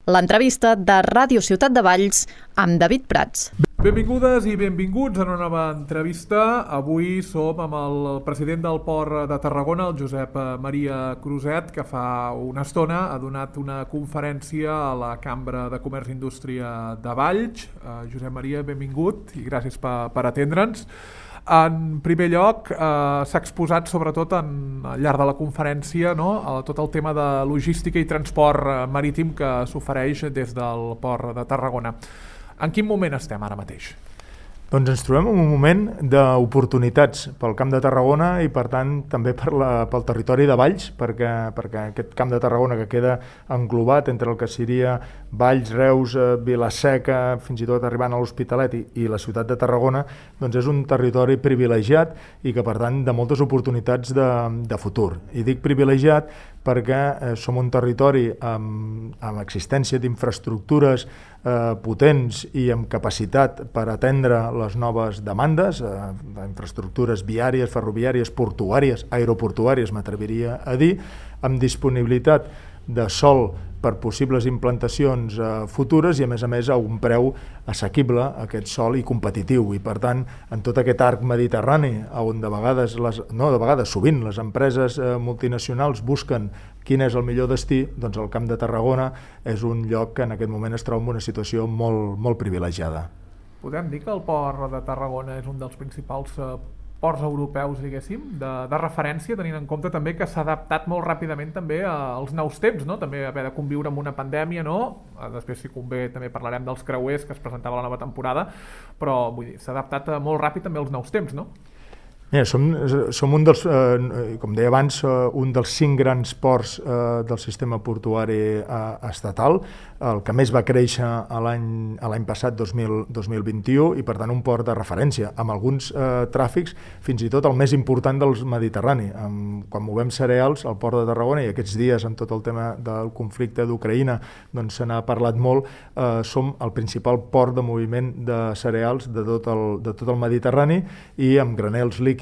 l'entrevista de Ràdio Ciutat de Valls amb David Prats. Benvingudes i benvinguts a una nova entrevista. Avui som amb el president del Port de Tarragona, el Josep Maria Cruzet, que fa una estona ha donat una conferència a la Cambra de Comerç i Indústria de Valls. Josep Maria, benvingut i gràcies per atendre'ns. En primer lloc, s'ha exposat sobretot al llarg de la conferència, no? Tot el tema de logística i transport marítim que s'ofereix des del Port de Tarragona. En quin moment estem ara mateix? Doncs ens trobem en un moment d'oportunitats pel Camp de Tarragona i per tant també pel territori de Valls, perquè aquest Camp de Tarragona que queda englobat entre el que seria Valls, Reus, Vila-seca, fins i tot arribant a l'Hospitalet i la ciutat de Tarragona, doncs és un territori privilegiat i que per tant de moltes oportunitats de futur. I dic privilegiat perquè som un territori amb existència d'infraestructures potents i amb capacitat per atendre les noves demandes, d'infraestructures viàries, ferroviàries, portuàries, aeroportuàries, m'atreviria a dir, amb disponibilitat de sòl per possibles implantacions futures i a més a un preu assequible a aquest sòl i competitiu. I per tant, en tot aquest arc mediterrani, on sovint les empreses multinacionals busquen quin és el millor destí, doncs el Camp de Tarragona és un lloc que en aquest moment es troba en una situació molt privilegiada. Podem dir que el Port de Tarragona és un dels principals ports europeus, diguéssim, de referència, tenint en compte també que s'ha adaptat molt ràpidament també als nous temps, no? També haver de conviure amb una pandèmia, no? Després, si convé, també parlarem dels creuers que es presentava a la nova temporada, però vull dir, s'ha adaptat molt ràpid també als nous temps, no? Mira, som un dels, com deia abans, un dels 5 grans ports del sistema portuari estatal, el que més va créixer l'any passat, 2021, i per tant un port de referència, amb alguns tràfics, fins i tot el més important del Mediterrani. Quan movem cereals al Port de Tarragona, i aquests dies amb tot el tema del conflicte d'Ucraïna doncs se n'ha parlat molt, som el principal port de moviment de cereals de tot el Mediterrani i amb granels líquids,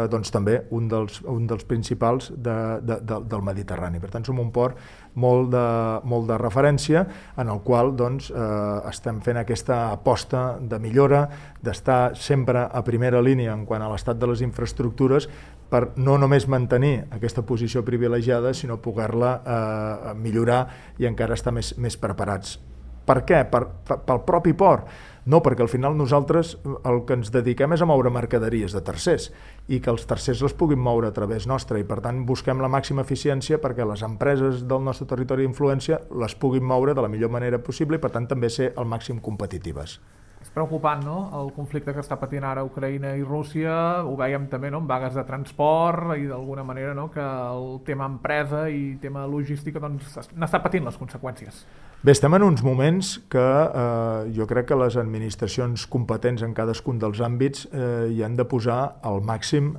doncs també un dels principals del Mediterrani. Per tant, som un port molt de referència en el qual doncs, estem fent aquesta aposta de millora, d'estar sempre a primera línia en quant a l'estat de les infraestructures per no només mantenir aquesta posició privilegiada, sinó poder-la millorar i encara estar més preparats. Per què? Pel propi port. No, perquè al final nosaltres el que ens dediquem és a moure mercaderies de tercers i que els tercers les puguin moure a través nostre i per tant busquem la màxima eficiència perquè les empreses del nostre territori d'influència les puguin moure de la millor manera possible i per tant també ser al màxim competitives. És preocupant, no?, el conflicte que està patint ara Ucraïna i Rússia, ho veiem també, no?, en vagues de transport i d'alguna manera, no?, que el tema empresa i tema logística doncs n'està patint les conseqüències. Bé, estem en uns moments que jo crec que les administracions competents en cadascun dels àmbits hi han de posar al màxim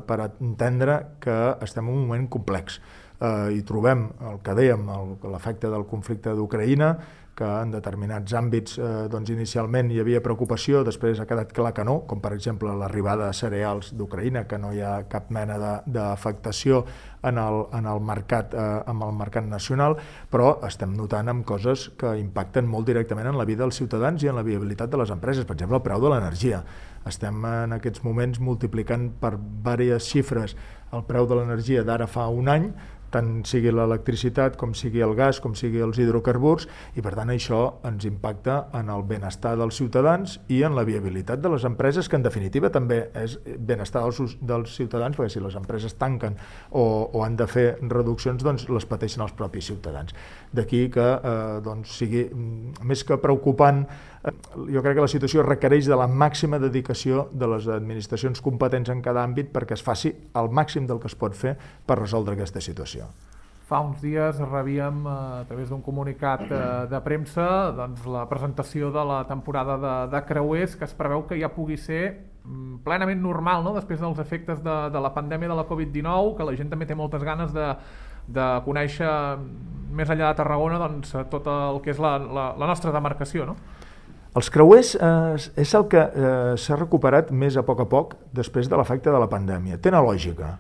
per entendre que estem en un moment complex. Hi trobem el que dèiem, l'efecte del conflicte d'Ucraïna, que en determinats àmbits doncs inicialment hi havia preocupació, després ha quedat clar que no, com per exemple l'arribada de cereals d'Ucraïna, que no hi ha cap mena d'afectació en el mercat nacional, però estem notant amb coses que impacten molt directament en la vida dels ciutadans i en la viabilitat de les empreses, per exemple el preu de l'energia. Estem en aquests moments multiplicant per diverses xifres el preu de l'energia d'ara fa un any, tant sigui l'electricitat, com sigui el gas, com sigui els hidrocarburs, i per tant això ens impacta en el benestar dels ciutadans i en la viabilitat de les empreses, que en definitiva també és benestar dels ciutadans, perquè si les empreses tanquen o han de fer reduccions, doncs les pateixen els propis ciutadans. D'aquí que doncs, sigui més que preocupant, jo crec que la situació requereix de la màxima dedicació de les administracions competents en cada àmbit perquè es faci el màxim del que es pot fer per resoldre aquesta situació. Fa uns dies rebíem a través d'un comunicat de premsa doncs, la presentació de la temporada de creuers, que es preveu que ja pugui ser plenament normal, no?, després dels efectes de la pandèmia de la Covid-19, que la gent també té moltes ganes de conèixer més enllà de Tarragona doncs, tot el que és la nostra demarcació, no? Els creuers és el que s'ha recuperat més a poc després després de l'efecte de la pandèmia. Té una lògica.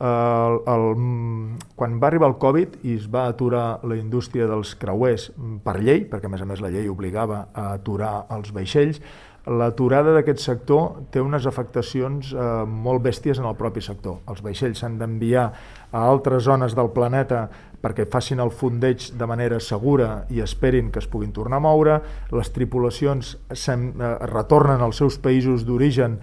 Quan va arribar el Covid i es va aturar la indústria dels creuers per llei, perquè a més la llei obligava a aturar els vaixells, l'aturada d'aquest sector té unes afectacions molt bèsties en el propi sector. Els vaixells s'han d'enviar a altres zones del planeta perquè facin el fondeig de manera segura i esperin que es puguin tornar a moure, les tripulacions retornen als seus països d'origen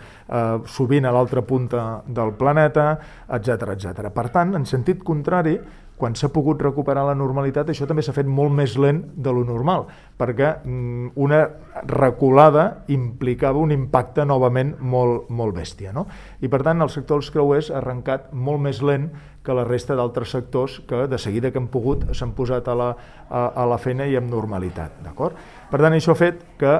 sovint a l'altra punta del planeta, etc. Per tant, en sentit contrari, quan s'ha pogut recuperar la normalitat, això també s'ha fet molt més lent de lo normal, perquè una reculada implicava un impacte novament molt bèstia, no? I per tant el sector dels creuers ha arrencat molt més lent que la resta d'altres sectors que de seguida que han pogut s'han posat a la feina i amb normalitat, d'acord? Per tant, això ha fet que,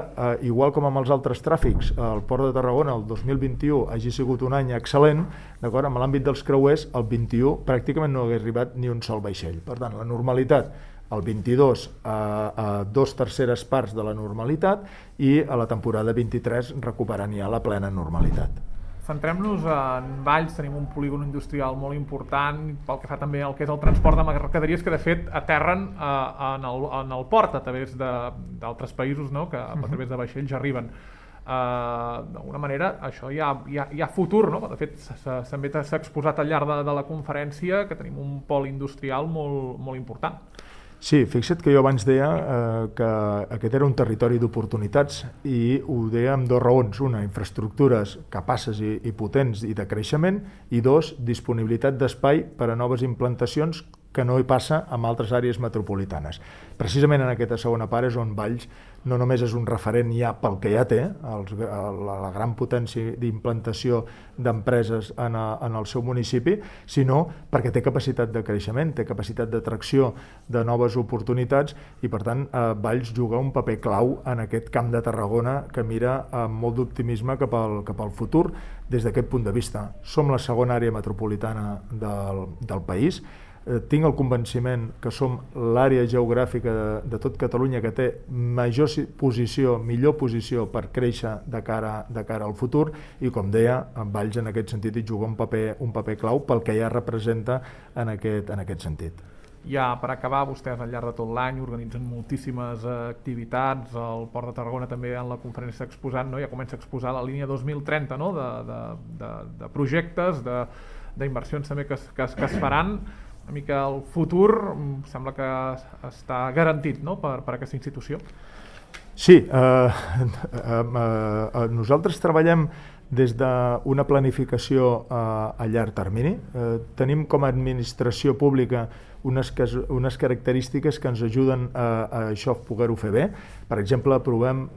igual com amb els altres tràfics, el Port de Tarragona el 2021 hagi sigut un any excel·lent, d'acord? En l'àmbit dels creuers, el 21 pràcticament no hagués arribat ni un sol vaixell. Per tant, la normalitat, el 22 a 2/3 parts de la normalitat i a la temporada 23 recuperant ja la plena normalitat. Centrem-nos en Valls, tenim un polígon industrial molt important pel que fa també al que és el transport de mercaderies que de fet aterren en el port a través d'altres països, no? Que a través de vaixells arriben. D'alguna manera això hi ha futur, no? De fet s'ha exposat al llarg de la conferència que tenim un pol industrial molt important. Sí, fixa't que jo abans deia que aquest era un territori d'oportunitats i ho deia amb dues raons. Una, infraestructures capaces i potents i de creixement, i dos, disponibilitat d'espai per a noves implantacions que no hi passa en altres àrees metropolitanes. Precisament en aquesta segona part és on Valls no només és un referent ja pel que ja té, la gran potència d'implantació d'empreses en el seu municipi, sinó perquè té capacitat de creixement, té capacitat d'atracció de noves oportunitats i, per tant, Valls juga un paper clau en aquest Camp de Tarragona que mira amb molt d'optimisme cap al futur des d'aquest punt de vista. Som la segona àrea metropolitana del país. Tinc el convenciment que som l'àrea geogràfica de tot Catalunya que té millor posició per créixer de cara al futur i, com deia, Valls en aquest sentit hi juga un paper clau pel que ja representa en aquest sentit. Ja per acabar, vostès al llarg de tot l'any organitzen moltíssimes activitats, el Port de Tarragona també en la conferència s'ha exposat, no? Ja comença a exposar la línia 2030, no? de projectes, d'inversions també que es faran. Una mica el futur sembla que està garantit, no? per aquesta institució. Sí, nosaltres treballem des d'una planificació a llarg termini. Tenim com a administració pública unes característiques que ens ajuden a això poder-ho fer bé. Per exemple, aprovem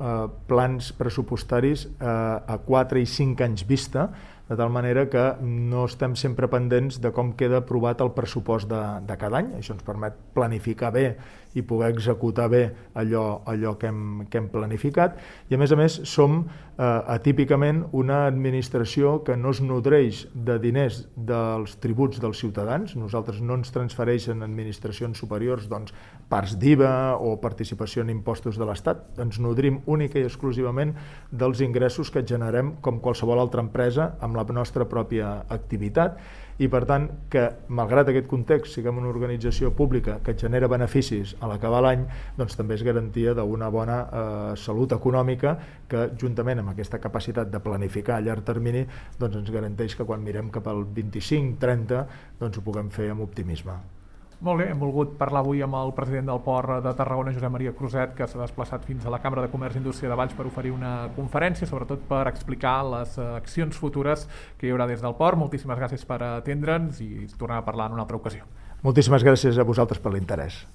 plans pressupostaris a 4 i 5 anys vista, de tal manera que no estem sempre pendents de com queda aprovat el pressupost de cada any. Això ens permet planificar bé i poder executar bé allò que hem planificat. I a més som atípicament una administració que no es nodreix de diners dels tributs dels ciutadans. Nosaltres no ens transfereixen administracions superiors parts d'IVA o participació en impostos de l'Estat. Ens nodrim única i exclusivament dels ingressos que generem com qualsevol altra empresa amb la nostra pròpia activitat i, per tant, que malgrat aquest context siguem una organització pública que genera beneficis a l'acabar l'any, doncs també és garantia d'una bona salut econòmica que, juntament amb aquesta capacitat de planificar a llarg termini, doncs ens garanteix que quan mirem cap al 25-30 doncs ho puguem fer amb optimisme. Molt bé, hem volgut parlar avui amb el president del Port de Tarragona, Josep Maria Cruzet, que s'ha desplaçat fins a la Cambra de Comerç i Indústria de Valls per oferir una conferència, sobretot per explicar les accions futures que hi haurà des del Port. Moltíssimes gràcies per atendre'ns i tornem a parlar en una altra ocasió. Moltíssimes gràcies a vosaltres per l'interès.